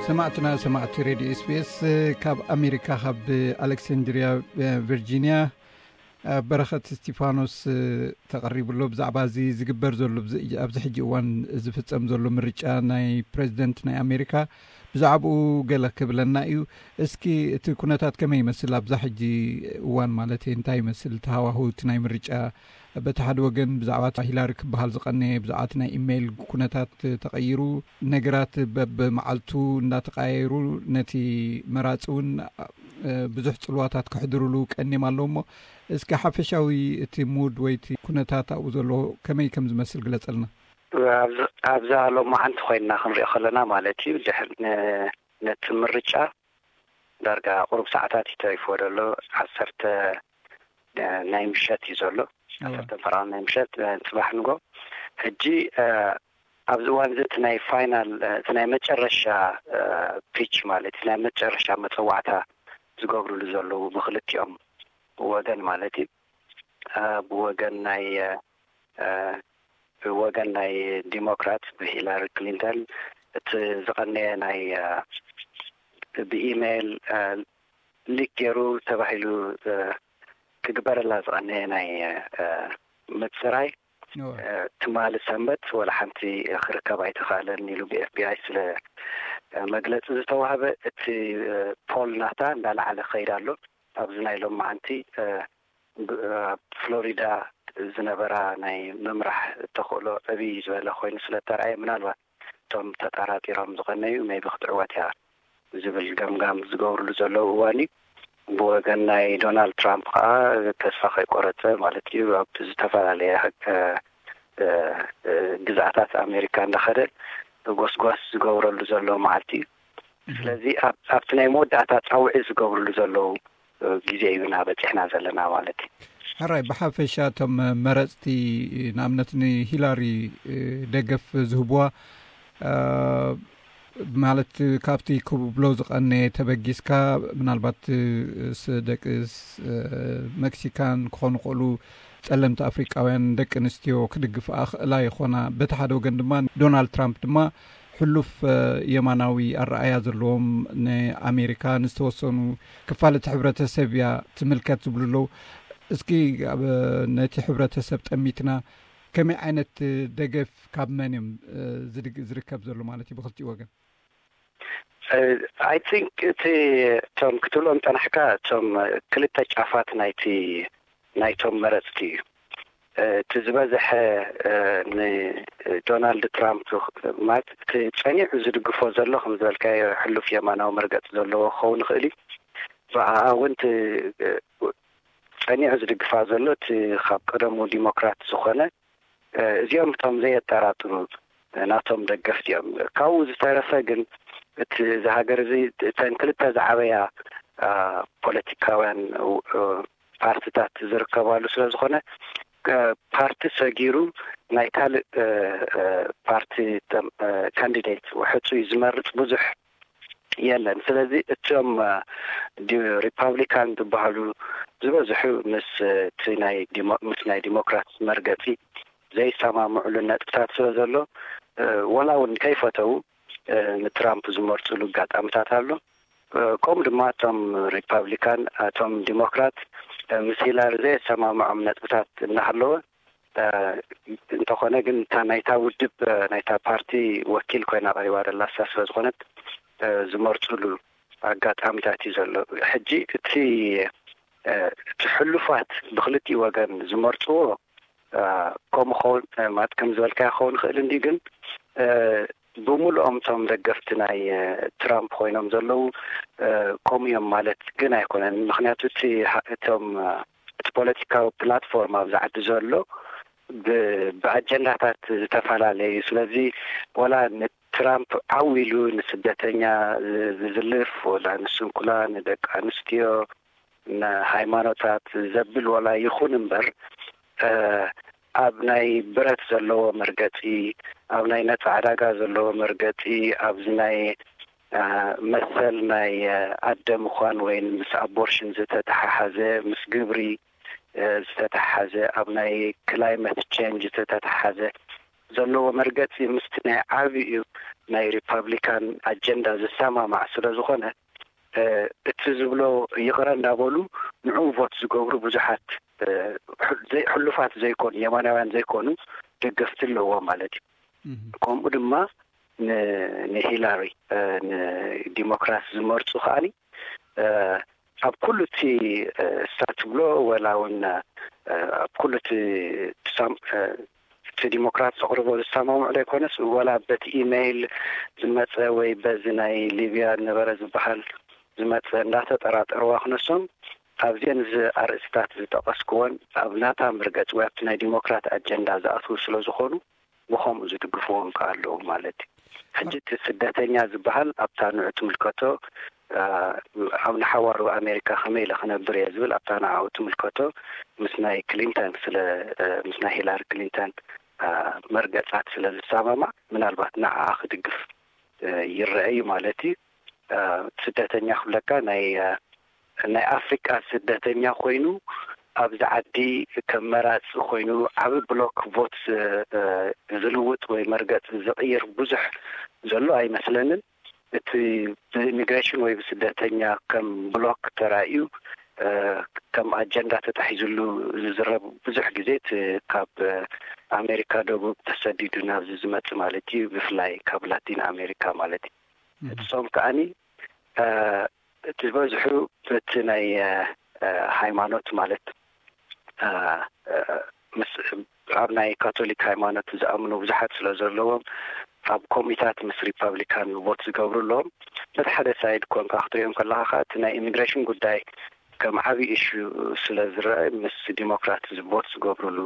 ሰማዕትና ሰማዕቲ ሬድዮ ኤስቢኤስ፣ ካብ ኣሜሪካ ካብ ኣሌክሳንድሪያ ቨርጂኒያ በረኸት እስቲፋኖስ ተቐሪቡ ኣሎ። ብዛዕባ እዚ ዝግበር ዘሎ ኣብዚ ሕጂ እዋን ዝፍጸም ዘሎ ምርጫ ናይ ፕሬዚደንት ናይ ኣሜሪካ ብዛዕባኡ ገለ ክብለና እዩ። እስኪ እቲ ኩነታት ከመይ ይመስል ኣብዛ ሕጂ እዋን ማለት እንታይ ይመስል ተሃዋሁ እቲ ናይ ምርጫ? በቲ ሓደ ወገን ብዛዕባ ሂላሪ ክበሃል ዝቐነየ ብዛዕባ ናይ ኢሜይል ኩነታት ተቐይሩ ነገራት በብመዓልቱ እንዳተቀያየሩ ነቲ መራፂ እውን ብዙሕ ፅልዋታት ከሕድርሉ ቀኒም ኣለዉ። እሞ እስኪ ሓፈሻዊ እቲ ሙድ ወይ እቲ ኩነታት ኣብኡ ዘሎ ከመይ ከም ዝመስል ግለፀልና። ኣብዛ ሎማዓንቲ ኮይንና ክንሪኦ ከለና ማለት እዩ ድሕሪ ነቲ ምርጫ ዳርጋ ቁሩብ ሰዓታት እዩ ተሪፍዎ ዘሎ። ዓሰርተ ናይ ምሸት እዩ ዘሎ። ዓሰርተ ፈረቓ ናይ ምሸት፣ ጽባሕ ንጎ። ሕጂ ኣብዚ እዋን እዚ እቲ ናይ ፋይናል፣ እቲ ናይ መጨረሻ ፒች ማለት እቲ ናይ መጨረሻ መጸዋዕታ ዝገብርሉ ዘለዉ ብክልቲኦም ወገን ማለት እዩ። ብወገን ናይ ብወገን ናይ ዲሞክራት ብሂላሪ ክሊንተን እቲ ዝቐነየ ናይ ብኢሜይል ሊክ ገይሩ ተባሂሉ ክግበረላ ዝቐነየ ናይ ምጽራይ ትማሊ ሰንበት ወላ ሓንቲ ክርከብ ኣይተኻእለን ኢሉ ብኤፍቢኣይ ስለ መግለፂ ዝተዋህበ እቲ ፖል ናታ እንዳለዓለ ክኸይድ ኣሎ። ኣብዚ ናይ ሎማዓንቲ ኣብ ፍሎሪዳ ዝነበራ ናይ ምምራሕ ተኽእሎ ዕብይ ዝበለ ኮይኑ ስለ ተረኣየ ምናልባት እቶም ተጠራጢሮም ዝቐነዩ maybe ክትዕወት እያ ዝብል ገምጋም ዝገብርሉ ዘለዉ እዋን እዩ። ብወገን ናይ ዶናልድ ትራምፕ ከዓ ተስፋ ከይቆረፀ ማለት እዩ ኣብ ዝተፈላለየ ግዝኣታት ኣሜሪካ እንዳኸደ ጎስጓስ ዝገብረሉ ዘሎ መዓልቲ እዩ። ስለዚ ኣብቲ ናይ መወዳእታ ፃውዒ ዝገብርሉ ዘለዉ ግዜ እዩ ኢና በፂሕና ዘለና ማለት እዩ። ሕራይ፣ ብሓፈሻ እቶም መረፅቲ ንኣብነት ንሂላሪ ደገፍ ዝህብዋ ማለት ካብቲ ክብሎ ዝቐነየ ተበጊስካ ምናልባት ደቂ መክሲካን ክኾኑ ክእሉ ጸለምቲ ኣፍሪቃውያን ደቂ ኣንስትዮ ክድግፍኣ ክእላ ይኾና። በቲ ሓደ ወገን ድማ ዶናልድ ትራምፕ ድማ ሕሉፍ የማናዊ ኣረኣያ ዘለዎም ንኣሜሪካ ንዝተወሰኑ ክፋል እቲ ሕብረተሰብ እያ ትምልከት ዝብሉ ኣለዉ። እስኪ ነቲ ሕብረተሰብ ጠሚትና ከመይ ዓይነት ደገፍ ካብ መን እዮም ዝርከብ ዘሎ ማለት እዩ ብክልቲኡ ወገን? I think እቲ እቶም ክትብሎም ጠናሕካ እቶም ክልተ ጫፋት ናይቲ ናይቶም መረፅቲ እዩ። እቲ ዝበዝሐ ንዶናልድ ትራምፕ ማለት እቲ ፀኒዑ ዝድግፎ ዘሎ ከም ዝበልካዮ ሕሉፍ የማናዊ መርገፂ ዘለዎ ክኸውን ይኽእል እዩ። ብኣኣ እውን እቲ ፀኒዑ ዝድግፋ ዘሎ እቲ ካብ ቀደሙ ዲሞክራት ዝኾነ እዚኦም እቶም ዘየጠራጥሩ ናቶም ደገፍቲ እዮም። ካብኡ ዝተረፈ ግን እቲ እዚ ሃገር እዚ እተን ክልተ ዝዓበያ ፖለቲካውያን ፓርትታት ዝርከባሉ ስለ ዝኾነ ፓርቲ ሰጊሩ ናይ ካልእ ፓርቲ ካንዲዴት ሕፁይ ዝመርፅ ብዙሕ የለን። ስለዚ እቶም ሪፓብሊካን ዝበሃሉ ዝበዝሑ ምስ እቲ ናይ ምስ ናይ ዲሞክራት መርገፂ ዘይሰማምዑሉ ነጥብታት ስለ ዘሎ ወላ እውን ከይፈተው ንትራምፕ ዝመርፅሉ ኣጋጣሚታት ኣሎ። ከምኡ ድማ እቶም ሪፓብሊካን እቶም ዲሞክራት ምስ ሂላሪ ዘየሰማምዖም ነጥብታት እናሃለወ እንተኾነ ግን እታ ናይታ ውድብ ናይታ ፓርቲ ወኪል ኮይና ቀሪባ ደላ እሳ ስለ ዝኾነት ዝመርፅሉ ኣጋጣሚታት እዩ ዘሎ። ሕጂ እቲ እቲ ሕሉፋት ብክልቲኡ ወገን ዝመርፅዎ ከምኡ ኸውን ማለት ከም ዝበልካዮ ክኸውን ይኽእል እንዲ ግን ብምሉኦም እቶም ደገፍቲ ናይ ትራምፕ ኮይኖም ዘለዉ ከምኡ እዮም ማለት ግን ኣይኮነን። ምክንያቱ እቲ እቶም እቲ ፖለቲካዊ ፕላትፎርም ኣብዚ ዓዲ ዘሎ ብኣጀንዳታት ዝተፈላለዩ እዩ። ስለዚ ወላ ንትራምፕ ዓው ኢሉ ንስደተኛ ዝዝልፍ ወላ ንስንኩላ ንደቂ ኣንስትዮ ንሃይማኖታት ዘብል ወላ ይኹን እምበር ኣብ ናይ ብረት ዘለዎ መርገፂ፣ ኣብ ናይ ነፃ ዕዳጋ ዘለዎ መርገፂ፣ ኣብዚ ናይ መሰል ናይ ኣደ ምዃን ወይ ምስ ኣቦርሽን ዝተተሓሓዘ፣ ምስ ግብሪ ዝተተሓሓዘ፣ ኣብ ናይ ክላይመት ቼንጅ ዝተተሓሓዘ ዘለዎ መርገፂ ምስቲ ናይ ዓብዩ ናይ ሪፓብሊካን ኣጀንዳ ዝሰማማዕ ስለ ዝኾነ፣ እቲ ዝብሎ ይቕረ እንዳበሉ ንዕኡ ቮት ዝገብሩ ብዙሓት፣ ሕሉፋት ዘይኮኑ፣ የማናውያን ዘይኮኑ ደገፍቲ ኣለዎ ማለት እዩ። ከምኡ ድማ ንሂላሪ፣ ንዲሞክራት ዝመርፁ ከዓኒ ኣብ ኩሉ እቲ እሳ ትብሎ፣ ወላ እውን ኣብ ኩሉ እቲ እቲ ዲሞክራት ዘቕርቦ ዝሰማምዑ ዘይኮነስ፣ ወላ በቲ ኢሜይል ዝመፀ ወይ በዚ ናይ ሊብያ ነበረ ዝበሃል ዝመፀ እንዳተጠራጠርዋ ክነሶም፣ ኣብዚአን እዚ ኣርእስታት ዝጠቐስክወን ኣብ ናታ መርገፂ ወይ ኣብቲ ናይ ዲሞክራት ኣጀንዳ ዝኣትዉ ስለ ዝኾኑ፣ ብኸምኡ ዝድግፍዎም ከ ኣለዉ ማለት እዩ። ሕጂ እቲ ስደተኛ ዝበሃል ኣብታ ንዑ ትምልከቶ፣ ኣብ ንሓዋሩ ኣሜሪካ ከመይ ኢለ ክነብር እየ ዝብል ኣብታ ንዓኡ ትምልከቶ ምስ ናይ ክሊንተን ስለ ምስ ናይ ሂላሪ ክሊንተን መርገጻት ስለ ዝሰማማዕ፣ ምናልባት ንዓኣ ክድግፍ ይረአ እዩ ማለት እዩ። ስደተኛ ክብለካ ናይ ናይ ኣፍሪቃ ስደተኛ ኮይኑ ኣብዚ ዓዲ ከም መራፂ ኮይኑ ዓቢ ብሎክ ቮት ዝልውጥ ወይ መርገፂ ዝቕይር ብዙሕ ዘሎ ኣይመስለንን። እቲ ብኢሚግሬሽን ወይ ብስደተኛ ከም ብሎክ ተራእዩ ከም ኣጀንዳ ተታሒዝሉ ዝዝረብ ብዙሕ ግዜ እቲ ካብ ኣሜሪካ ደቡብ ተሰዲዱ ናብዚ ዝመፅእ ማለት እዩ፣ ብፍላይ ካብ ላቲን ኣሜሪካ ማለት እዩ። እሶም ከዓኒ እቲ ዝበዝሑ በቲ ናይ ሃይማኖት ማለት ምስ ኣብ ናይ ካቶሊክ ሃይማኖት ዝኣምኑ ብዙሓት ስለ ዘለዎም ኣብ ኮሚታት ምስ ሪፓብሊካን ቮት ዝገብሩ ኣለዎም። በቲ ሓደ ሳይድ ኮንካ ክትሪኦም ከለካ ከዓ እቲ ናይ ኢሚግሬሽን ጉዳይ ከም ዓብዪ ኢሹ ስለ ዝረአ ምስ ዲሞክራት ቮት ዝገብሩሉ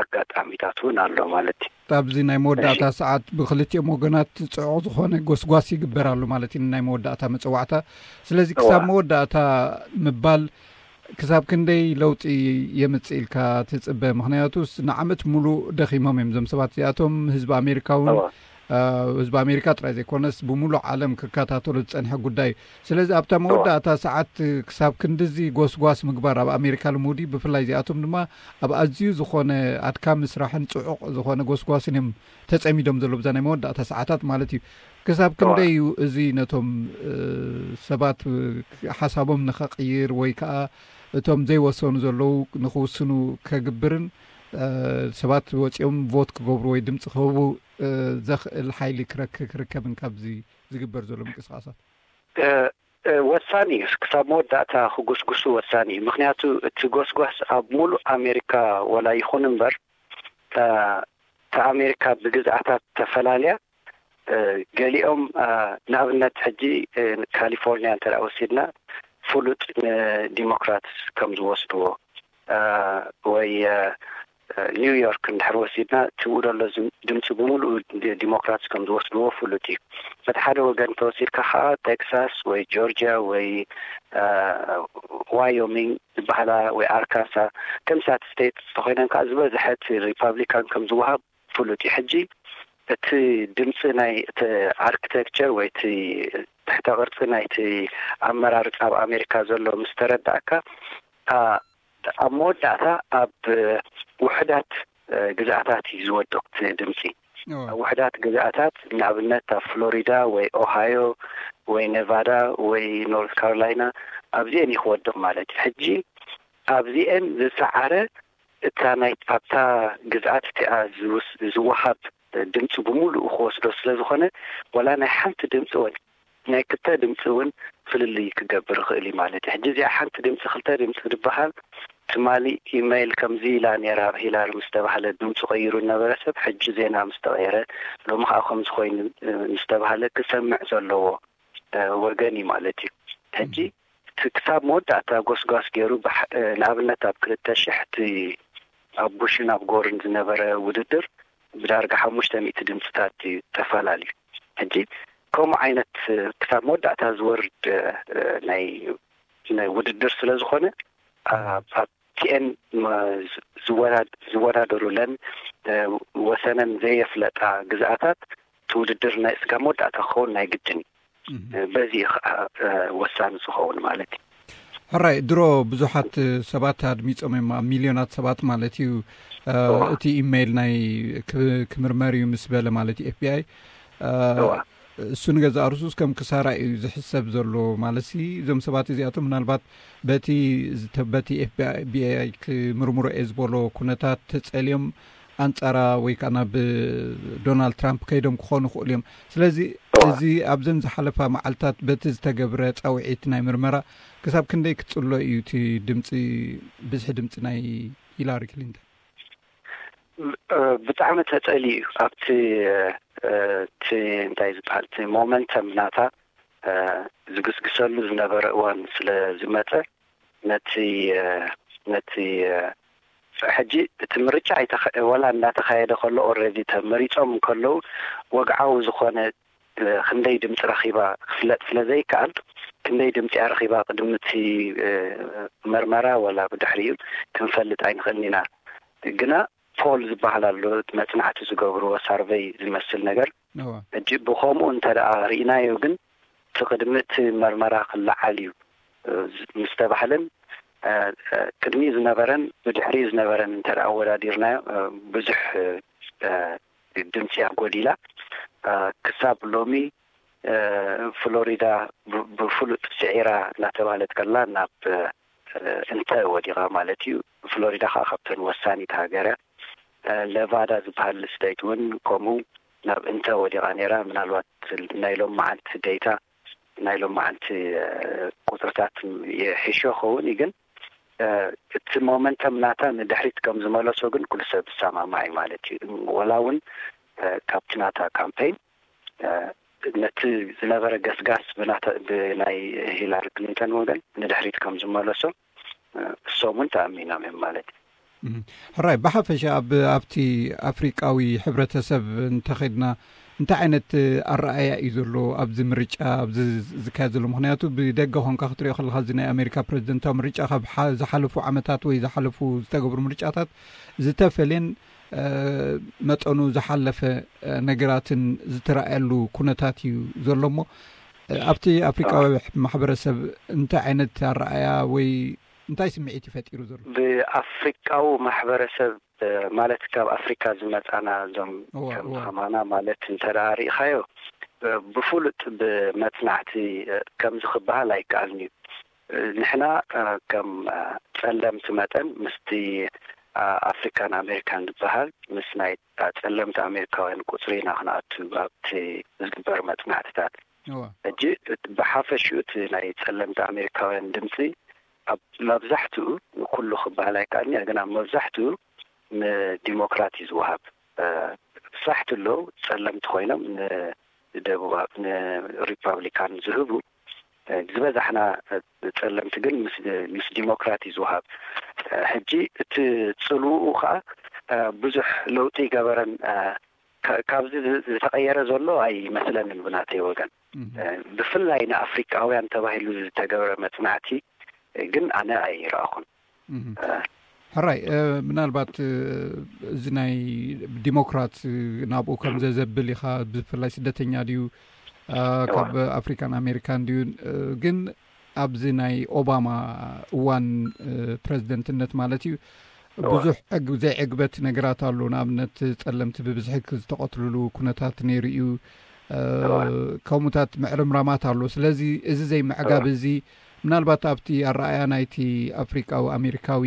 ኣጋጣሚታት እውን ኣሎ ማለት እዩ። ኣብዚ ናይ መወዳእታ ሰዓት ብክልቲኦም ወገናት ፅዑቕ ዝኾነ ጎስጓስ ይግበር ኣሎ ማለት እዩ፣ ናይ መወዳእታ መፀዋዕታ። ስለዚ ክሳብ መወዳእታ ምባል ክሳብ ክንደይ ለውጢ የምፅእ ኢልካ ትፅበ? ምክንያቱስ ንዓመት ሙሉእ ደኺሞም እዮም እዞም ሰባት እዚኣቶም። ህዝቢ ኣሜሪካ እውን ህዝቢ ኣሜሪካ ጥራይ ዘይኮነስ ብሙሉእ ዓለም ክከታተሎ ዝፀንሐ ጉዳይ እዩ። ስለዚ ኣብታ መወዳእታ ሰዓት ክሳብ ክንድዚ ጎስጓስ ምግባር ኣብ ኣሜሪካ ልሙድ እዩ። ብፍላይ እዚኣቶም ድማ ኣብ ኣዝዩ ዝኾነ ኣድካሚ ስራሕን ፅዑቕ ዝኾነ ጎስጓስን እዮም ተፀሚዶም ዘሎ ብዛ ናይ መወዳእታ ሰዓታት ማለት እዩ። ክሳብ ክንደይ እዩ እዚ ነቶም ሰባት ሓሳቦም ንኸቕይር ወይ ከዓ እቶም ዘይወሰኑ ዘለዉ ንኽውስኑ ከግብርን ሰባት ወፂኦም ቮት ክገብሩ ወይ ድምፂ ክህቡ ዘኽእል ሓይሊ ክረክ- ክርከብን ካብዚ ዝግበር ዘሎ ምንቅስቃሳት? ወሳኒ እዩ። ክሳብ መወዳእታ ክጉስጉሱ ወሳኒ እዩ። ምክንያቱ እቲ ጎስጓስ ኣብ ሙሉእ ኣሜሪካ ወላ ይኹን እምበር እታ ኣሜሪካ ብግዝኣታት ተፈላልያ፣ ገሊኦም ንኣብነት ሕጂ ካሊፎርኒያ እንተ ወሲድና ፍሉጥ ንዲሞክራትስ ከም ዝወስድዎ ወይ ኒውዮርክ እንድሕር ወሲድና ትብኡ ደሎ ድምፂ ብምሉኡ ዲሞክራትስ ከም ዝወስድዎ ፍሉጥ እዩ። በቲ ሓደ ወገን ተወሲድካ ከዓ ቴክሳስ ወይ ጆርጂያ ወይ ዋዮሚንግ ዝበሃላ ወይ ኣርካንሳ ከምሳት ስቴት ተኮይነን ከዓ ዝበዝሐ እቲ ሪፓብሊካን ከም ዝወሃብ ፍሉጥ እዩ። ሕጂ እቲ ድምፂ ናይ እቲ ኣርክቴክቸር ወይ እቲ ትሕተ ቅርፂ ናይቲ ኣመራርፃ ኣብ ኣሜሪካ ዘሎ ምስ ተረዳእካ ኣብ መወዳእታ ኣብ ውሕዳት ግዝኣታት እዩ ዝወድቕ እቲ ድምፂ። ኣብ ውሕዳት ግዝኣታት ንኣብነት ኣብ ፍሎሪዳ ወይ ኦሃዮ ወይ ኔቫዳ ወይ ኖርት ካሮላይና ኣብዚአን እዩ ክወድቕ ማለት እዩ። ሕጂ ኣብዚአን ዝሰዓረ እታ ናይ ኣብታ ግዝኣት እቲኣ ዝወሃብ ድምፂ ብምሉኡ ክወስዶ ስለ ዝኾነ ዋላ ናይ ሓንቲ ድምፂ ወይ ናይ ክልተ ድምፂ እውን ፍልልይ ክገብር ይኽእል እዩ ማለት እዩ። ሕጂ እዚኣ ሓንቲ ድምፂ ክልተ ድምፂ ዝበሃል ትማሊ ኢሜይል ከምዚ ኢላ ነይራ ሂላሪ ምስ ተባህለ ድምፂ ቀይሩ ዝነበረ ሰብ ሕጂ ዜና ምስ ተቐየረ ሎሚ ከዓ ከምዚ ኮይኑ ምስ ተባህለ ክሰምዕ ዘለዎ ወገን እዩ ማለት እዩ። ሕጂ እቲ ክሳብ መወዳእታ ጎስጓስ ገይሩ ንኣብነት ኣብ ክልተ ሽሕ እቲ ኣብ ቡሽን ኣብ ጎርን ዝነበረ ውድድር ብዳርጋ ሓሙሽተ ሚእቲ ድምፅታት እዩ ተፈላለዩ። ሕጂ ከምኡ ዓይነት ክሳብ መወዳእታ ዝወርድ ናይ ናይ ውድድር ስለ ዝኾነ ኣብቲኤን ዝወዳደሩለን ወሰነን ዘየፍለጣ ግዝኣታት እቲ ውድድር ናይ ስጋ መወዳእታ ክኸውን ናይ ግድን እዩ። በዚ ከዓ ወሳኒ ዝኸውን ማለት እዩ። ሕራይ ድሮ ብዙሓት ሰባት ኣድሚፆም እዮም፣ ኣብ ሚልዮናት ሰባት ማለት እዩ። እቲ ኢሜይል ናይ ክምርመር እዩ ምስ በለ ማለት እዩ ኤፍቢኣይ። እሱ ንገዛእ ርሱስ ከም ክሳራ እዩ ዝሕሰብ ዘሎ ማለት ሲ። እዞም ሰባት እዚኣቶም ምናልባት በቲ በቲ ኤፍቢኣይ ክምርምሮ እየ ዝበሎ ኩነታት ተጸልዮም ኣንጻራ ወይ ከዓ ናብ ዶናልድ ትራምፕ ከይዶም ክኾኑ ይኽእሉ እዮም። ስለዚ እዚ ኣብዘን ዝሓለፋ መዓልታት በቲ ዝተገብረ ጻውዒት ናይ ምርመራ ክሳብ ክንደይ ክጽሎ እዩ እቲ ድምፂ፣ ብዝሒ ድምፂ ናይ ሂላሪ ክሊንተን? ብጣዕሚ ተጸሊ እዩ። ኣብቲ እቲ እንታይ ዝበሃል እቲ ሞመንተም ናታ ዝግስግሰሉ ዝነበረ እዋን ስለ ዝመጸ ነቲ ነቲ ሕጂ እቲ ምርጫ ኣይተኸ- ወላ እናተኻየደ ከሎ ኦልሬዲ ተመሪጾም እንከለዉ ወግዓዊ ዝኾነ ክንደይ ድምፂ ረኺባ ክፍለጥ ስለ ዘይከኣል ክንደይ ድምፂ ረኺባ ቅድሚ እቲ መርመራ ወላ ብድሕሪኡ ክንፈልጥ ኣይንኽእልን ኢና። ግና ፖል ዝበሃል ኣሎ መፅናዕቲ ዝገብርዎ ሳርቨይ ዝመስል ነገር ሕጂ ብኸምኡ እንተ ደኣ ርኢናዮ ግን እቲ ቅድሚ እቲ መርመራ ክለዓል እዩ ምስ ተባህለን ቅድሚ ዝነበረን ብድሕሪ ዝነበረን እንተ ኣወዳዲርናዮ ብዙሕ ድምፂ ኣጎዲላ። ክሳብ ሎሚ ፍሎሪዳ ብፍሉጥ ስዒራ እናተባህለት ከላ ናብ እንተ ወዲቓ ማለት እዩ። ፍሎሪዳ ከዓ ካብተን ወሳኒት ሃገር እያ። ኔቫዳ ዝበሃል ስቴት እውን ከምኡ ናብ እንተ ወዲቓ ነይራ። ምናልባት ናይ ሎም መዓልቲ ዴታ ናይ ሎም መዓልቲ ቁፅርታት ይሕሾ ኸውን እዩ ግን እቲ ሞመንተም ናታ ንድሕሪት ከም ዝመለሶ ግን ኩሉ ሰብ ዝሰማማዕ እዩ ማለት እዩ። ወላ እውን ካብቲ ናታ ካምፔን ነቲ ዝነበረ ገስጋስ ብናይ ሂላሪ ክሊንተን ወገን ንድሕሪት ከም ዝመለሶ እሶም እውን ተኣሚኖም እዮም ማለት እዩ። ሕራይ ብሓፈሻ ኣብ ኣብቲ ኣፍሪቃዊ ሕብረተሰብ እንተኸድና እንታይ ዓይነት ኣረኣያ እዩ ዘሎ ኣብዚ ምርጫ ኣብዚ ዝካየድ ዘሎ? ምክንያቱ ብደገ ኮንካ ክትሪኦ ከለካ እዚ ናይ ኣሜሪካ ፕሬዚደንታዊ ምርጫ ካብ ዝሓለፉ ዓመታት ወይ ዝሓለፉ ዝተገብሩ ምርጫታት ዝተፈለየን መጠኑ ዝሓለፈ ነገራትን ዝተረኣየሉ ኩነታት እዩ ዘሎ እሞ ኣብቲ ኣፍሪቃዊ ማሕበረሰብ እንታይ ዓይነት ኣረኣያ ወይ እንታይ ስምዒት እዩ ፈጢሩ ዘሎ? ብኣፍሪቃዊ ማሕበረሰብ ማለት ካብ ኣፍሪካ ዝመፃና እዞም ከም ከማና ማለት እንተ ርኢኻዮ ብፍሉጥ ብመፅናዕቲ ከምዚ ክበሃል ኣይከኣልን እዩ። ንሕና ከም ፀለምቲ መጠን ምስቲ ኣፍሪካን ኣሜሪካን ዝበሃል ምስ ናይ ፀለምቲ ኣሜሪካውያን ቁፅሪ ኢና ክንኣቱ ኣብቲ ዝግበር መፅናዕትታት። ሕጂ ብሓፈሽኡ እቲ ናይ ፀለምቲ ኣሜሪካውያን ድምፂ ኣብ መብዛሕትኡ ንኩሉ ክበሃል ኣይከኣልን እየ ግን ኣብ መብዛሕትኡ ንዲሞክራት እዩ ዝወሃብ። ሳሕቲ ኣለዉ ፀለምቲ ኮይኖም ንደቡብ ንሪፓብሊካን ዝህቡ ዝበዛሕና ፀለምቲ ግን ምስ ዲሞክራት እዩ ዝወሃብ። ሕጂ እቲ ፅልውኡ ከዓ ብዙሕ ለውጢ ይገበረን ካብዚ ዝተቀየረ ዘሎ ኣይመስለንን ብናተይ ወገን። ብፍላይ ንኣፍሪቃውያን ተባሂሉ ዝተገብረ መፅናዕቲ ግን ኣነ ኣይረኣኹን። ሕራይ ምናልባት እዚ ናይ ዲሞክራት ናብኡ ከም ዘዘብል ኢኻ ብፍላይ ስደተኛ ድዩ ካብ ኣፍሪካን ኣሜሪካን ድዩ ግን ኣብዚ ናይ ኦባማ እዋን ፕረዚደንትነት ማለት እዩ ብዙሕ ዘይዕግበት ነገራት ኣሎ። ንኣብነት ፀለምቲ ብብዝሒ ዝተቐትልሉ ኩነታት ነይሩ እዩ። ከምኡታት ምዕርምራማት ኣሎ። ስለዚ እዚ ዘይምዕጋብ እዚ ምናልባት ኣብቲ ኣረኣያ ናይቲ ኣፍሪቃዊ ኣሜሪካዊ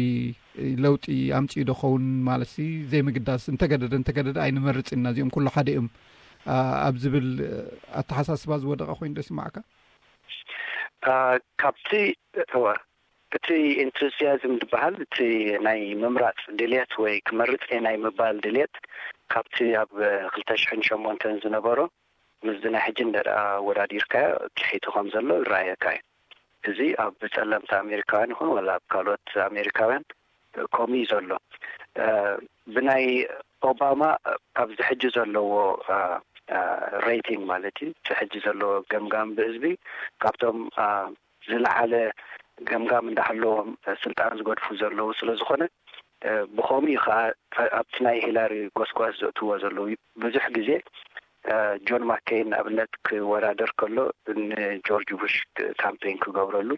ለውጢ ኣምፅኡ ዶ ኸውን ማለት ሲ ዘይምግዳስ እንተገደደ እንተገደደ ኣይንመርፅን ኢና እዚኦም ኩሉ ሓደ እዮም ኣብ ዝብል ኣተሓሳስባ ዝወደቐ ኮይኑ ዶ ይስማዓካ? ካብቲ እወ እቲ ኢንቱዚያዝም ዝበሃል እቲ ናይ ምምራፅ ድልየት ወይ ክመርፅ ናይ ምባል ድልየት ካብቲ ኣብ ክልተ ሽሕን ሸሞንተን ዝነበሮ ምስዚ ናይ ሕጂ እንደ ኣወዳዲርካዮ ትሒቱ ከም ዘሎ ይረኣየካ እዩ። እዚ ኣብ ፀለምቲ ኣሜሪካውያን ይኹን ወላ ኣብ ካልኦት ኣሜሪካውያን ከምኡ እዩ ዘሎ። ብናይ ኦባማ ኣብዚ ሕጂ ዘለዎ ሬቲንግ ማለት እዩ እቲ ሕጂ ዘለዎ ገምጋም ብህዝቢ ካብቶም ዝለዓለ ገምጋም እንዳሃለዎም ስልጣን ዝገድፉ ዘለዉ ስለ ዝኾነ ብኸምኡ ከዓ ኣብቲ ናይ ሂላሪ ጎስጓስ ዘእትዎ ዘለዉ ብዙሕ ግዜ ጆን ማኬይን ንኣብነት ክወዳደር ከሎ ንጆርጅ ቡሽ ካምፔን ክገብረሉ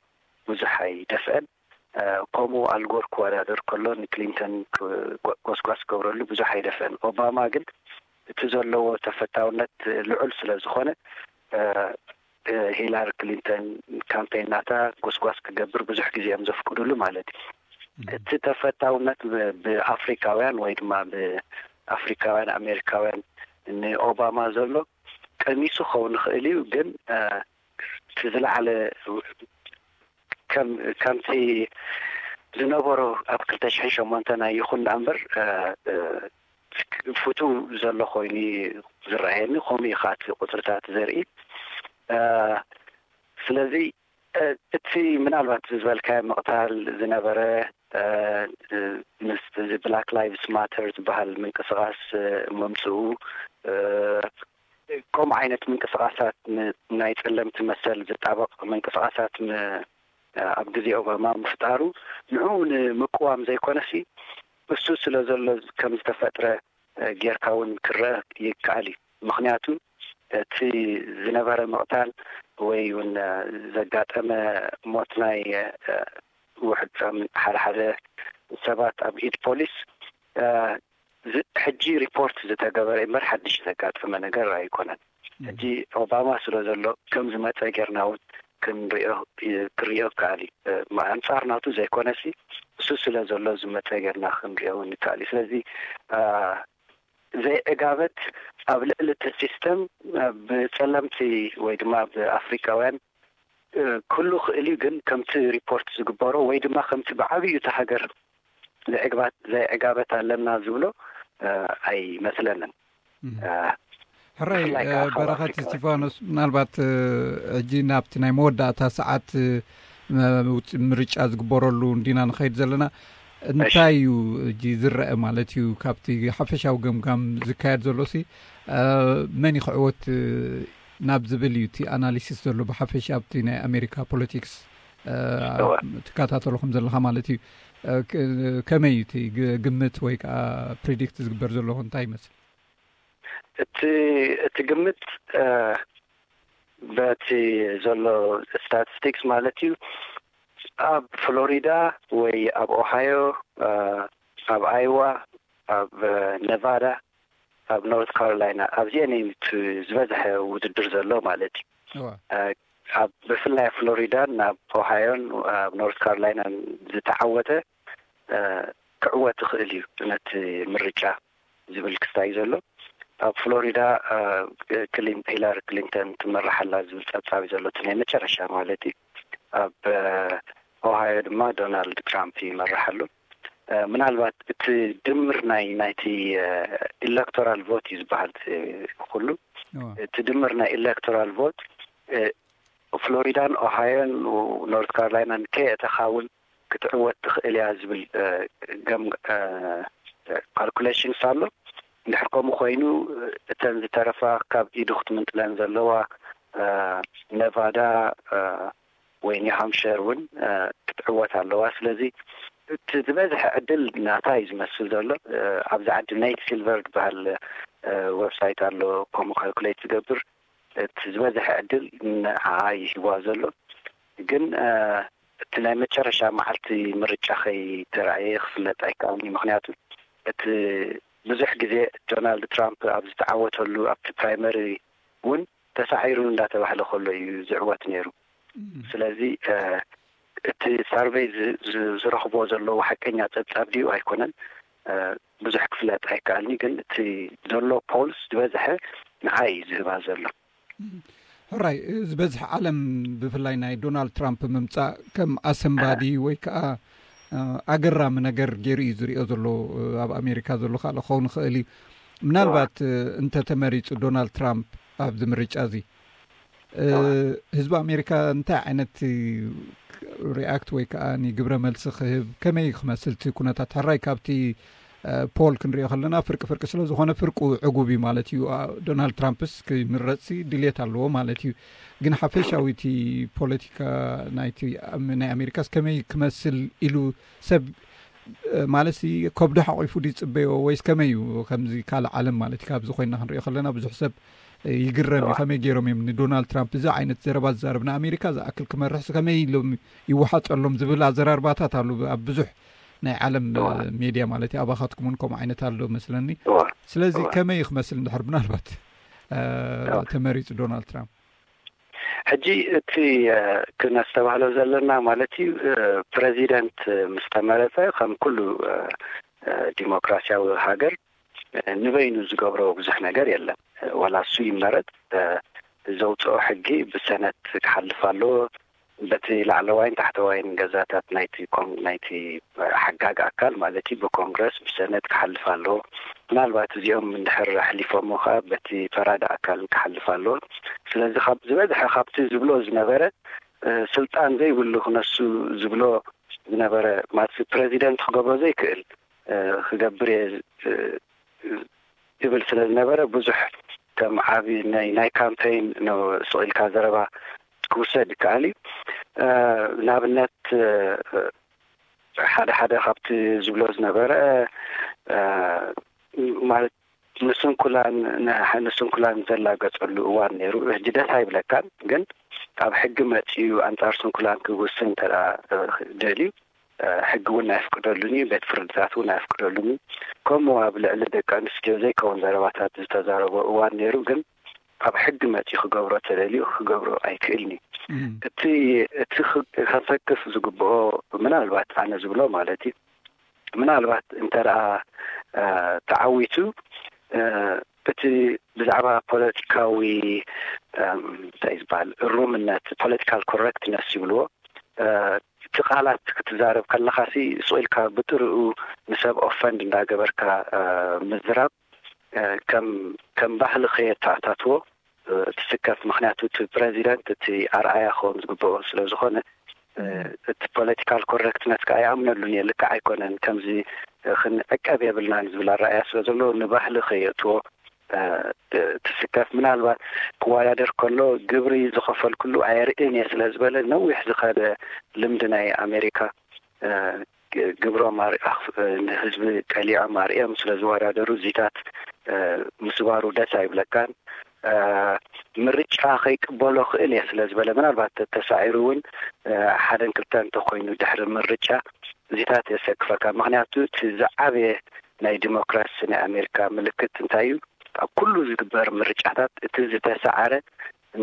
ብዙሕ ኣይደፍአን። ከምኡ ኣልጎር ክወዳደር ከሎ ንክሊንተን ጎስጓስ ክገብረሉ ብዙሕ ኣይደፍአን። ኦባማ ግን እቲ ዘለዎ ተፈታውነት ልዑል ስለ ዝኾነ ሂላሪ ክሊንተን ካምፔን ናታ ጎስጓስ ክገብር ብዙሕ ግዜ እዮም ዘፍቅዱሉ ማለት እዩ። እቲ ተፈታውነት ብኣፍሪካውያን ወይ ድማ ብኣፍሪካውያን ኣሜሪካውያን ንኦባማ ዘሎ ቀኒሱ ክኸውን ይኽእል እዩ። ግን እቲ ዝለዓለ ከምቲ ዝነበሮ ኣብ ክልተ ሽሕን ሸሞንተን ኣይኹን ደኣ እምበር ፍቱው ዘሎ ኮይኑ ዝረኣየኒ። ከምኡ እዩ ከዓ እቲ ቁፅርታት ዘርኢ። ስለዚ እቲ ምናልባት ዝበልካዮ ምቕታል ዝነበረ ምስ እዚ ብላክ ላይቭስ ማተር ዝበሃል ምንቅስቃስ ምምፅኡ፣ ከምኡ ዓይነት ምንቅስቃሳት ናይ ጸለምቲ መሰል ዝጣበቕ ምንቅስቃሳት ኣብ ግዜ ኦባማ ምፍጣሩ ንዕኡ ንምቅዋም ዘይኮነሲ እሱ ስለ ዘሎ ከም ዝተፈጥረ ጌርካ እውን ክረአ ይከኣል እዩ። ምክንያቱ እቲ ዝነበረ ምቕታል ወይ እውን ዘጋጠመ ሞት ናይ ውሕድ ሓደ ሓደ ሰባት ኣብ ኢድ ፖሊስ ሕጂ ሪፖርት ዝተገበረ እምበር ሓድሽ ዘጋጠመ ነገር ኣይኮነን። ሕጂ ኦባማ ስለ ዘሎ ከም ዝመፀ ጌርና እውን ክንሪኦ ክሪኦ ይከኣል እዩ። ኣንፃር ናቱ ዘይኮነሲ እሱ ስለ ዘሎ ዝመፀ ጌርና ክንሪኦ እውን ይከኣል እዩ። ስለዚ ዘይዕጋበት ኣብ ልዕሊ እቲ ሲስተም ብፀለምቲ ወይ ድማ ብኣፍሪካውያን ክህሉ ክእል እዩ። ግን ከምቲ ሪፖርት ዝግበሮ ወይ ድማ ከምቲ ብዓብዩ እቲ ሃገር ዘይዕጋበት ኣለና ዝብሎ ኣይመስለንን። ሕራይ በረኸት እስቲፋኖስ፣ ምናልባት ሕጂ ናብቲ ናይ መወዳእታ ሰዓት ምርጫ ዝግበረሉ እንዲና ንኸይድ ዘለና፣ እንታይ እዩ ሕጂ ዝረአ ማለት እዩ? ካብቲ ሓፈሻዊ ገምጋም ዝካየድ ዘሎ ሲ መን ይኽዕወት ናብ ዝብል እዩ እቲ ኣናሊሲስ ዘሎ ብሓፈሻ ኣብቲ ናይ ኣሜሪካ ፖለቲክስ ትከታተሎ ከም ዘለኻ ማለት እዩ። ከመይ እዩ እቲ ግምት ወይ ከዓ ፕሪዲክት ዝግበር ዘሎ እንታይ ይመስል? እቲ እቲ ግምት በቲ ዘሎ ስታቲስቲክስ ማለት እዩ ኣብ ፍሎሪዳ ወይ ኣብ ኦሃዮ፣ ኣብ ኣይዋ፣ ኣብ ነቫዳ፣ ኣብ ኖርት ካሮላይና ኣብዚአን እዩ ዝበዝሐ ውድድር ዘሎ ማለት እዩ። ኣብ ብፍላይ ኣብ ፍሎሪዳን ኣብ ኦሃዮን ኣብ ኖርት ካሮላይናን ዝተዓወተ ክዕወት ይኽእል እዩ ነቲ ምርጫ ዝብል ክስታይ ዘሎ። ኣብ ፍሎሪዳ ሂላሪ ክሊንተን ትመራሕ ኣላ ዝብል ፀብፃብ እዩ ዘሎ፣ እቲ ናይ መጨረሻ ማለት እዩ። ኣብ ኦሃዮ ድማ ዶናልድ ትራምፕ ይመራሕ ኣሎ። ምናልባት እቲ ድምር ናይ ናይቲ ኤሌክቶራል ቮት እዩ ዝበሃል ኩሉ። እቲ ድምር ናይ ኤሌክቶራል ቮት ፍሎሪዳን ኦሃዮን ኖርት ካሮላይናን ከየእተኻ እውን ክትዕወት ትኽእል እያ ዝብል ገም ካልኩሌሽንስ ኣሎ። እንድሕር ከምኡ ኮይኑ እተን ዝተረፋ ካብ ኢዱ ክትምንጥለን ዘለዋ ነቫዳ ወይ ኒውሃምሸር እውን ክትዕወት ኣለዋ። ስለዚ እቲ ዝበዝሐ ዕድል ናታ እዩ ዝመስል ዘሎ። ኣብዚ ዓዲ ኔት ሲልቨር ዝበሃል ዌብሳይት ኣሎ፣ ከምኡ ካልኩሌት ዝገብር። እቲ ዝበዝሐ ዕድል ንዓኣ እዩ ሂዋ ዘሎ። ግን እቲ ናይ መጨረሻ መዓልቲ ምርጫ ከይተራእየ ክፍለጥ ኣይከኣልን እዩ። ምክንያቱ እቲ ብዙሕ ግዜ ዶናልድ ትራምፕ ኣብ ዝተዓወተሉ ኣብቲ ፕራይመሪ እውን ተሳዒሩ እንዳተባህለ ከሎ እዩ ዝዕወት ነይሩ። ስለዚ እቲ ሳርቨይ ዝረኽቦ ዘለዉ ሓቀኛ ፀብፃብ ድዩ ኣይኮነን ብዙሕ ክፍለጥ ኣይከኣልኒ። ግን እቲ ዘሎ ፖልስ ዝበዝሐ ንዓይ እዩ ዝህባ ዘሎ። ሕራይ ዝበዝሕ ዓለም ብፍላይ ናይ ዶናልድ ትራምፕ ምምፃእ ከም ኣሰንባዲ ወይ ከዓ ኣገራሚ ነገር ገይሩ እዩ ዝሪኦ ዘሎ። ኣብ ኣሜሪካ ዘሎ ካልእ ክኸውን ይኽእል እዩ። ምናልባት እንተተመሪፁ ዶናልድ ትራምፕ ኣብዚ ምርጫ እዚ ህዝቢ ኣሜሪካ እንታይ ዓይነት ሪኣክት ወይ ከዓ ግብረ መልሲ ክህብ፣ ከመይ ክመስል እቲ ኩነታት? ሕራይ ካብቲ ፖል ክንሪኦ ከለና ፍርቂ ፍርቂ ስለ ዝኾነ ፍርቁ ዕጉብ እዩ ማለት እዩ። ዶናልድ ትራምፕስ ክምረፅሲ ድሌት ኣለዎ ማለት እዩ። ግን ሓፈሻዊ እቲ ፖለቲካ ናይ ኣሜሪካስ ከመይ ክመስል ኢሉ ሰብ ማለት ከብዱ ሓቂፉ ድፅበዮ ወይስ ከመይ እዩ? ከምዚ ካልእ ዓለም ማለት እዩ። ካብዚ ኮይና ክንሪኦ ከለና ብዙሕ ሰብ ይግረም እዩ። ከመይ ገይሮም እዮም ንዶናልድ ትራምፕ እዚ ዓይነት ዘረባ ዝዛረብ ንኣሜሪካ ዝኣክል ክመርሕስ ከመይ ኢሎም ይወሓጠሎም ዝብል ኣዘራርባታት ኣሉ ኣብ ብዙሕ ናይ ዓለም ሜድያ ማለት እዩ። ኣባኻትኩም እውን ከምኡ ዓይነት ኣሎ መስለኒ። ስለዚ ከመይ ክመስል እንድሕር ምናልባት ተመሪፁ ዶናልድ ትራምፕ? ሕጂ እቲ ክነስተባህሎ ዘለና ማለት እዩ፣ ፕረዚደንት ምስ ተመረፀ ከም ኩሉ ዲሞክራሲያዊ ሃገር ንበይኑ ዝገብሮ ብዙሕ ነገር የለን። ዋላ እሱ ይመረፅ፣ ዘውፅኦ ሕጊ ብሰነት ክሓልፍ ኣለዎ። በቲ ላዕለዋይን ታሕተዋይን ገዛታት ናይቲ ናይቲ ሓጋግ ኣካል ማለት እዩ፣ ብኮንግረስ ብሰነት ክሓልፍ ኣለዎ። ምናልባት እዚኦም እንድሕር ኣሕሊፎሞ ከዓ በቲ ፈራዲ ኣካል ክሓልፍ ኣለዎ። ስለዚ ካብ ዝበዝሐ ካብቲ ዝብሎ ዝነበረ ስልጣን ዘይብሉ ክነሱ ዝብሎ ዝነበረ ማለት ፕረዚደንት ክገብሮ ዘይክእል ክገብር እየ ዝብል ስለ ዝነበረ ብዙሕ ከም ዓቢ ናይ ናይ ካምፔይን ስቕ ኢልካ ዘረባ ክውሰድ ይከኣል እዩ። ንኣብነት ሓደ ሓደ ካብቲ ዝብሎ ዝነበረ ማለት ንስንኩላን ንስንኩላን ዘላገፀሉ እዋን ነይሩ። ሕጂ ደስ ኣይብለካን፣ ግን ኣብ ሕጊ መፂኡ ኣንፃር ስንኩላን ክውስን እንተ ደልዩ ሕጊ እውን ኣይፍቅደሉን እዩ፣ ቤት ፍርድታት እውን ኣይፍቅደሉን እዩ። ከምኡ ኣብ ልዕሊ ደቂ ኣንስትዮ ዘይከውን ዘረባታት ዝተዛረቦ እዋን ነይሩ፣ ግን ኣብ ሕጊ መፂኡ ክገብሮ ተደልዩ ክገብሮ ኣይክእልን እዩ። እቲ እቲ ከሰክፍ ዝግብኦ ምናልባት ኣነ ዝብሎ ማለት እዩ ምናልባት እንተ ደኣ ተዓዊቱ እቲ ብዛዕባ ፖለቲካዊ እንታይ ዝበሃል እሩምነት ፖለቲካል ኮረክትነስ ይብልዎ እቲ ቃላት ክትዛረብ ከለኻሲ ስቕ ኢልካ ብጥርኡ ንሰብ ኦፈንድ እንዳገበርካ ምዝራብ ከም ባህሊ ከየተኣታትዎ ትስከፍ። ምክንያቱ እቲ ፕረዚደንት እቲ ኣርኣያ ክኸውን ዝግብኦ ስለ ዝኾነ እቲ ፖለቲካል ኮረክትነት ከዓ ይኣምነሉን እየ። ልክዕ ኣይኮነን ከምዚ ክንዕቀብ የብልናን ዝብል ኣረኣያ ስለ ዘሎ ንባህሊ ከየእትዎ ትስከፍ። ምናልባት ክወዳደር ከሎ ግብሪ ዝኸፈልኩሉ ኣየርእን እየ ስለ ዝበለ ነዊሕ ዝኸደ ልምዲ ናይ ኣሜሪካ ግብሮም ንህዝቢ ቀሊዖም ኣርእዮም ስለ ዝወዳደሩ እዚታት ምስባሩ ደስ ኣይብለካን። ምርጫ ከይቅበሎ ክእል እየ ስለ ዝበለ ምናልባት ተሳዒሩ እውን ሓደን ክልተ እንተኮይኑ ድሕሪ ምርጫ እዚታት የሰክፈካ። ምክንያቱ እቲ ዝዓበየ ናይ ዲሞክራሲ ናይ ኣሜሪካ ምልክት እንታይ እዩ? ኣብ ኩሉ ዝግበር ምርጫታት እቲ ዝተሰዓረ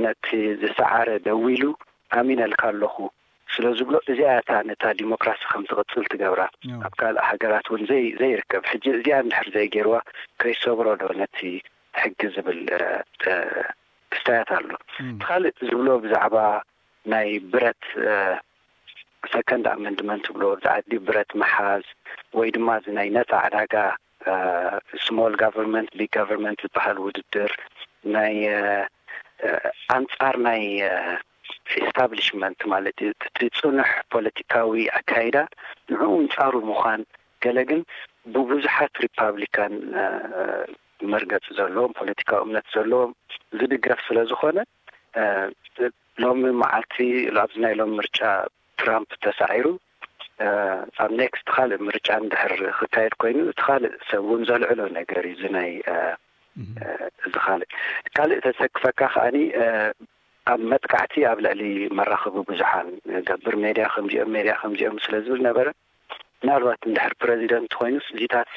ነቲ ዝሰዓረ ደዊሉ ኣሚነልካ ኣለኹ ስለ ዝብሎ እዚኣ እታ ነታ ዲሞክራሲ ከም ዝቕፅል ትገብራ። ኣብ ካልእ ሃገራት እውን ዘይ ዘይርከብ ሕጂ እዚኣ እንድሕር ዘይገይርዋ ከይሰብሮ ዶ ነቲ ሕጊ ዝብል ክስታያት ኣሎ። እቲ ካልእ ዝብሎ ብዛዕባ ናይ ብረት ሰከንድ ኣመንድመንት ዝብሎ ብዛዕባ ብረት ምሓዝ ወይ ድማ እዚ ናይ ነፃ ዕዳጋ ስሞል ጋቨርንመንት ቢግ ጋቨርንመንት ዝበሃል ውድድር ናይ ኣንፃር ናይ ኤስታብሊሽመንት ማለት እዩ። እቲ ፅኑሕ ፖለቲካዊ ኣካይዳ ንዕኡ ኣንፃሩ ምዃን ገለ ግን ብብዙሓት ሪፓብሊካን መርገፂ ዘለዎም ፖለቲካዊ እምነት ዘለዎም ዝድገፍ ስለ ዝኾነ ሎሚ መዓልቲ ኣብዚ ናይ ሎም ምርጫ ትራምፕ ተሳዒሩ ኣብ ኔክስት ካልእ ምርጫ እንድሕር ክካየድ ኮይኑ እቲ ካልእ ሰብ እውን ዘልዕሎ ነገር እዩ። እዚ ናይ እዚ ካልእ ካልእ ተሰክፈካ ከዓኒ ኣብ መጥቃዕቲ ኣብ ልዕሊ መራኸቢ ብዙሓን ገብር ሜድያ ከምዚኦም ሜድያ ከምዚኦም ስለ ዝብል ነበረ። ምናልባት እንድሕር ፕረዚደንት ኮይኑ እዚታት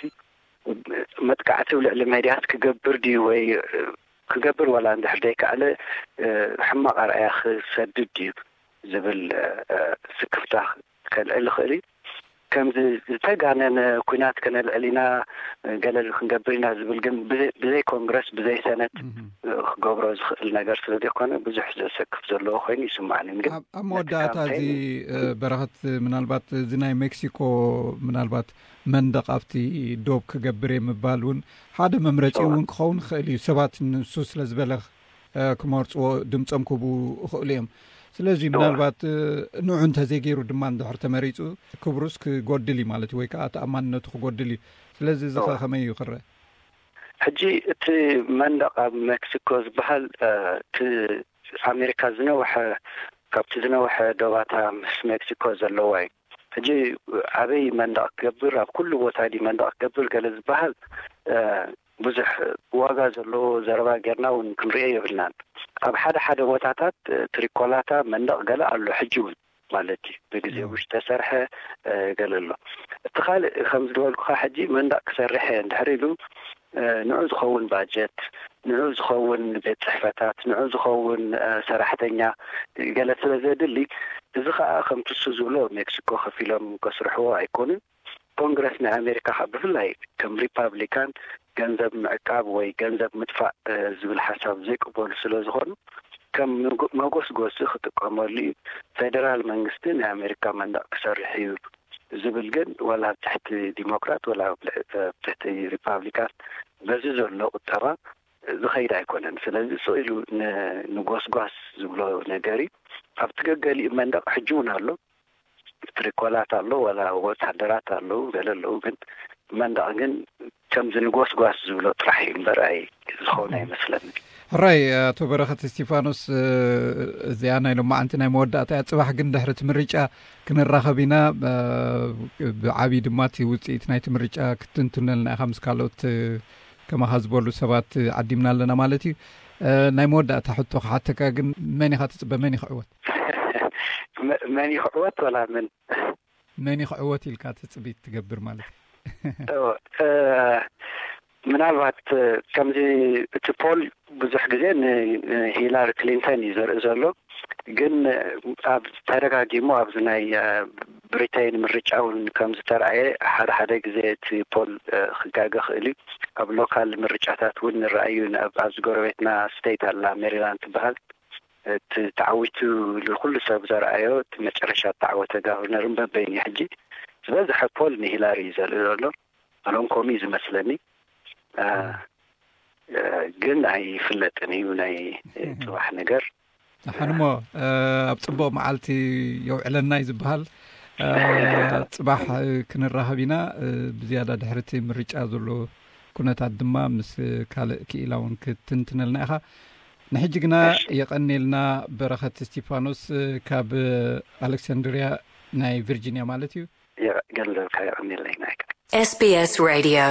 መጥቃዕቲ ኣብ ልዕሊ ሜድያት ክገብር ድዩ ወይ ክገብር ዋላ እንድሕር ዘይከኣለ ሕማቕ ኣርኣያ ክሰድድ ድዩ ዝብል ስክፍታ ከልዕል ይኽእል እዩ። ከምዚ ዝተጋነነ ኩናት ከነልዕል ኢና ገለ ክንገብር ኢና ዝብል ግን ብዘይ ኮንግረስ ብዘይ ሰነት ክገብሮ ዝኽእል ነገር ስለ ዘይኮነ ብዙሕ ዘሰክፍ ዘለዎ ኮይኑ ይስማዕኒ። ግን ኣብ መወዳእታ እዚ በረኸት ምናልባት እዚ ናይ ሜክሲኮ ምናልባት መንደቕ ኣብቲ ዶብ ክገብር እየ ምባል እውን ሓደ መምረፂ እውን ክኸውን ይኽእል እዩ። ሰባት ንሱ ስለ ዝበለ ክመርፅዎ ድምፆም ክህቡ ይኽእሉ እዮም። ስለዚ ምናልባት ንዑ እንተዘይገይሩ ድማ እንድሕር ተመሪፁ ክብሩስ ክጎድል እዩ ማለት እዩ፣ ወይ ከዓ ተኣማንነቱ ክጎድል እዩ። ስለዚ እዚ ከ ከመይ እዩ ክረአ? ሕጂ እቲ መንደቕ ኣብ ሜክሲኮ ዝበሃል እቲ ኣሜሪካ ዝነውሐ ካብቲ ዝነውሐ ዶባታ ምስ ሜክሲኮ ዘለዋ እዩ። ሕጂ ኣበይ መንደቕ ክገብር ኣብ ኩሉ ቦታ ዲ መንደቕ ክገብር ገለ ዝበሃል ብዙሕ ዋጋ ዘለዎ ዘረባ ጌርና እውን ክንሪኦ የብልናን። ኣብ ሓደ ሓደ ቦታታት ትሪኮላታ መንደቕ ገለ ኣሎ ሕጂ እውን ማለት እዩ። ብግዜ ውሽ ተሰርሐ ገለ ኣሎ። እቲ ካልእ ከም ዝበልኩኻ ሕጂ መንደቕ ክሰርሕ እየ እንድሕር ኢሉ ንዑ ዝኸውን ባጀት፣ ንዑ ዝኸውን ቤት ጽሕፈታት፣ ንዑ ዝኸውን ሰራሕተኛ ገለ ስለ ዘድሊ፣ እዚ ኸኣ ከምቲ እሱ ዝብሎ ሜክሲኮ ከፊሎም ከስርሕዎ ኣይኮኑን። ኮንግረስ ናይ ኣሜሪካ ብፍላይ ከም ሪፓብሊካን ገንዘብ ምዕቃብ ወይ ገንዘብ ምጥፋእ ዝብል ሓሳብ ዘይቅበሉ ስለ ዝኾኑ ከም መጎስጎሲ ክጥቀመሉ እዩ። ፌደራል መንግስቲ ናይ ኣሜሪካ መንደቕ ክሰርሕ እዩ ዝብል ግን ዋላ ኣብ ትሕቲ ዲሞክራት ዋላ ኣብ ትሕቲ ሪፓብሊካን በዚ ዘሎ ቁጠባ ዝኸይድ ኣይኮነን። ስለዚ ስቕ ኢሉ ንጎስጓስ ዝብሎ ነገር እዩ። ኣብቲ ገገሊኡ መንደቕ ሕጂ እውን ኣሎ። ትሪኮላት ኣሎ፣ ዋላ ወታደራት ኣለዉ፣ ገለ ኣለዉ። ግን መንደቕ ግን ከምዚ ንጎስጓስ ዝብሎ ጥራሕ እዩ እምበር ኣይ ዝኸውን ኣይመስለኒ። ሕራይ ኣቶ በረኸት እስቲፋኖስ፣ እዚኣ ናይ ሎማዓንቲ ናይ መወዳእታ እያ። ጽባሕ ግን ድሕሪ እቲ ምርጫ ክንራኸብ ኢና። ብዓብዪ ድማ እቲ ውፅኢት ናይቲ ምርጫ ክትንትነልና ኢኻ ምስ ካልኦት ከማኻ ዝበሉ ሰባት ዓዲምና ኣለና ማለት እዩ። ናይ መወዳእታ ሕቶ ክሓተካ ግን፣ መን ኢኻ ትፅበ? መን ይኽዕወት? መን ይኽዕወት ወላ መን መን ይኽዕወት ኢልካ ትፅቢት ትገብር ማለት እዩ? ምናልባት ከምዚ እቲ ፖል ብዙሕ ግዜ ንሂላሪ ክሊንተን እዩ ዘርኢ ዘሎ። ግን ኣብ ተደጋጊሙ ኣብዚ ናይ ብሪተይን ምርጫ እውን ከም ዝተረኣየ ሓደ ሓደ ግዜ እቲ ፖል ክጋገ ክእል እዩ። ኣብ ሎካል ምርጫታት እውን ንረኣዩ። ኣብዚ ጎረቤትና ስቴት ኣላ፣ ሜሪላንድ ትበሃል። እቲ ተዓዊቱ ንኩሉ ሰብ ዘርኣዮ እቲ መጨረሻ እተዓወተ ጋቨርነር እምበበይን እዩ። ሕጂ ዝበዝሐ ፖል ንሂላሪ እዩ ዘርኢ ዘሎ። ኣሎም ኮሚ እዩ ዝመስለኒ። ግን ኣይፍለጥን እዩ ናይ ፅባሕ ነገር። ኣሓንሞ ኣብ ፅቡቕ መዓልቲ የውዕለና እዩ ዝበሃል። ፅባሕ ክንራኸብ ኢና። ብዝያዳ ድሕርቲ ምርጫ ዘሎ ኩነታት ድማ ምስ ካልእ ክኢላ እውን ክትንትነልና ኢኻ። ንሕጂ ግና የቐኔልና በረኸት እስቲፋኖስ ካብ ኣሌክሳንድሪያ ናይ ቪርጂኒያ ማለት እዩ። ገንዘብካ የቐኔልና ኢና። SBS Radio